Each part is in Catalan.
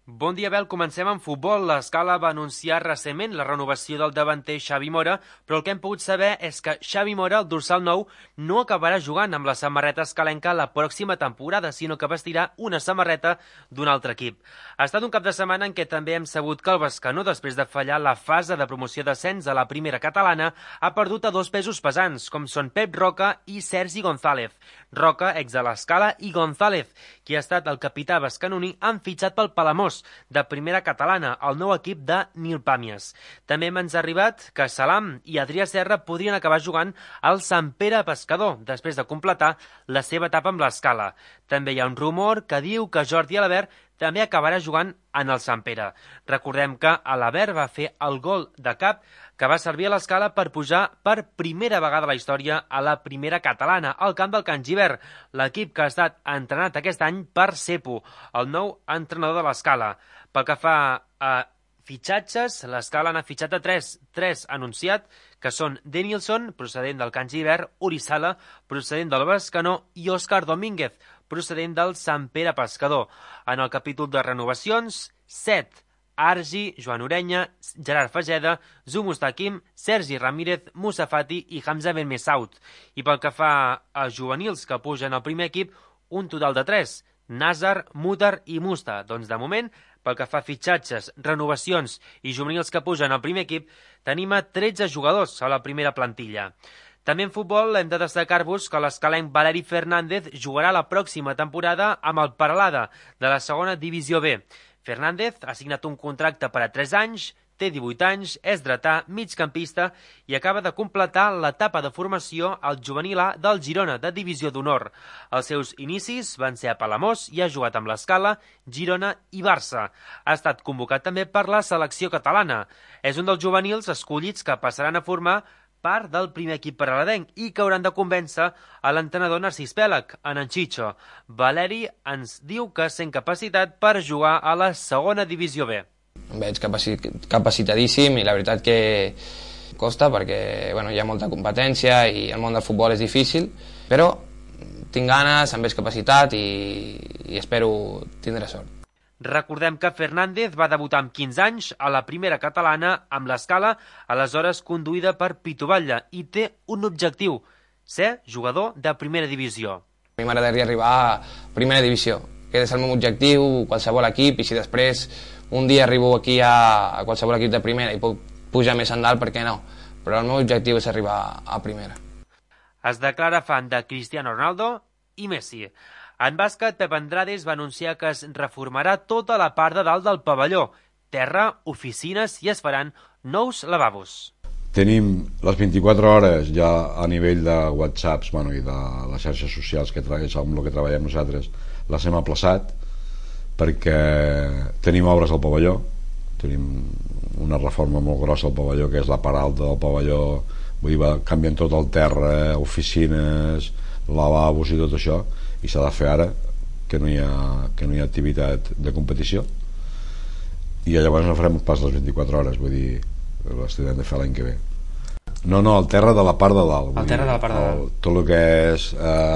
Bon dia, Abel. Comencem amb futbol. L'Escala va anunciar recentment la renovació del davanter Xavi Mora, però el que hem pogut saber és que Xavi Mora, el dorsal 9, no acabarà jugant amb la samarreta escalenca la pròxima temporada, sinó que vestirà una samarreta d'un altre equip. Ha estat un cap de setmana en què també hem sabut que el Bescanó, després de fallar la fase de promoció d'ascens a la primera catalana, ha perdut a dos pesos pesants, com són Pep Roca i Sergi González. Roca, ex de l'Escala, i González, qui ha estat el capità bescanoní, han fitxat pel Palamós, de primera catalana, el nou equip de Nil Pàmies. També hem arribat que Salam i Adrià Serra podrien acabar jugant al Sant Pere Pescador, després de completar la seva etapa amb l'Escala. També hi ha un rumor que diu que Jordi Alabert també acabarà jugant en el Sant Pere. Recordem que Alabert va fer el gol de cap que va servir a l'Escala per pujar per primera vegada a la història a la primera catalana, al camp del Can Gibert, l'equip que ha estat entrenat aquest any per Cepo, el nou entrenador de l'Escala. Pel que fa a fitxatges, l'Escala n'ha fitxat a tres anunciat, que són Denilson, procedent del Can Gibert, Urizala, procedent del Bescanó, i Òscar Domínguez, procedent del Sant Pere Pescador. En el capítol de renovacions, 7. Argi, Joan Orenya, Gerard Fageda, Zumustakim, Sergi Ramírez, Moussa Fati i Hamza Ben Messaoud. I pel que fa a juvenils que pugen al primer equip, un total de 3, Nazar, Mutar i Musta. Doncs de moment, pel que fa a fitxatges, renovacions i juvenils que pugen al primer equip, tenim a 13 jugadors a la primera plantilla. També en futbol hem de destacar-vos que l'escalenc Valeri Fernández jugarà la pròxima temporada amb el Peralada de la segona divisió B. Fernández ha signat un contracte per a 3 anys, té 18 anys, és dretà, migcampista i acaba de completar l'etapa de formació al juvenil A del Girona, de divisió d'honor. Els seus inicis van ser a Palamós i ha jugat amb l'Escala, Girona i Barça. Ha estat convocat també per la selecció catalana. És un dels juvenils escollits que passaran a formar part del primer equip paraladenc i que hauran de convèncer a l'entrenador Narcís Pèlag, en Chicho. Valeri ens diu que sent capacitat per jugar a la segona divisió B. Em veig capacitadíssim i la veritat que costa perquè hi ha molta competència i el món del futbol és difícil, però tinc ganes, em veig capacitat i espero tindre sort. Recordem que Fernández va debutar amb 15 anys a la primera catalana amb l'Escala, aleshores conduïda per Pitu Batlle, i té un objectiu, ser jugador de primera divisió. A mi m'agradaria arribar a primera divisió, que és el meu objectiu, qualsevol equip, i si després un dia arribo aquí a qualsevol equip de primera i puc pujar més endalt, per què no? Però el meu objectiu és arribar a primera. Es declara fan de Cristiano Ronaldo i Messi. En bàsquet, Pep Andrades va anunciar que es reformarà tota la part de dalt del pavelló, terra, oficines i es faran nous lavabos. Tenim les 24 hores ja a nivell de WhatsApps i de les xarxes socials que amb el que treballem nosaltres, les hem aplaçat perquè tenim obres al pavelló, tenim una reforma molt grossa al pavelló que és la part alta del pavelló, vull dir, va canviant tot el terra, oficines, lavabos i tot això, i s'ha de fer ara que no hi ha activitat de competició, i llavors no farem pas les 24 hores, vull dir, les tindrem de fer l'any que ve. No, el terra de la part de dalt, el terra de la part de dalt. Tot el que és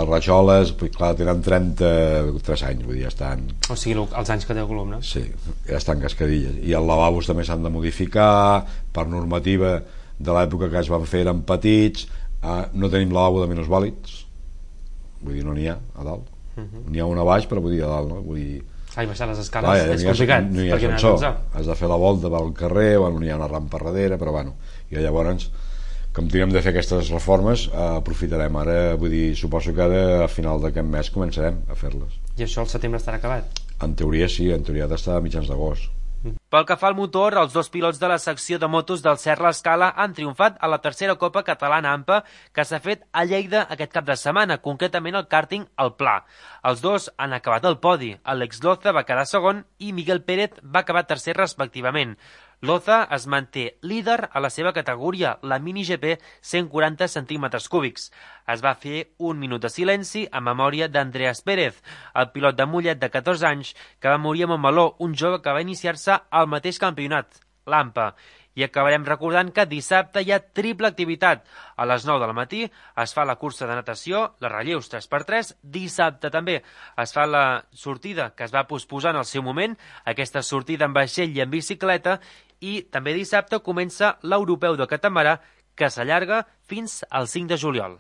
rajoles, clar, tenen 33 anys, vull dir, ja estan... O sigui, els anys que té el columna. Sí, ja estan cascadilles, i els lavabos també s'han de modificar per normativa de l'època que es van fer, eren petits, no tenim lavabo de minusvàlids, vull dir, no n'hi ha a dalt. N'hi ha un a baix, però vull dir a dalt, no? Vull dir... I baixar les escales és complicat. No hi ha ascensor, has de fer la volta pel carrer, no hi ha una rampa darrere, però i llavors, com tinguem de fer aquestes reformes, aprofitarem ara, vull dir, suposo que a final d'aquest mes començarem a fer-les. I això al setembre estarà acabat? En teoria sí, en teoria ha d'estar a mitjans d'agost. Pel que fa al motor, els dos pilots de la secció de motos del Cer l'Escala han triomfat a la tercera Copa Catalana AMPA que s'ha fet a Lleida aquest cap de setmana, concretament el càrting al Pla. Els dos han acabat el podi. Àlex Loza va quedar segon i Miguel Pérez va acabar tercer respectivament. Loza es manté líder a la seva categoria, la Mini GP 140 centímetres cúbics. Es va fer un minut de silenci en memòria d'Andreas Pérez, el pilot de Mollet de 14 anys que va morir a Montmeló, un jove que va iniciar-se al mateix campionat, l'AMPA. I acabarem recordant que dissabte hi ha triple activitat. A les 9 del matí es fa la cursa de natació, la relleus 3x3. Dissabte també es fa la sortida que es va posposar en el seu moment, aquesta sortida en vaixell i en bicicleta, i també dissabte comença l'Europeu de Catamarà, que s'allarga fins al 5 de juliol.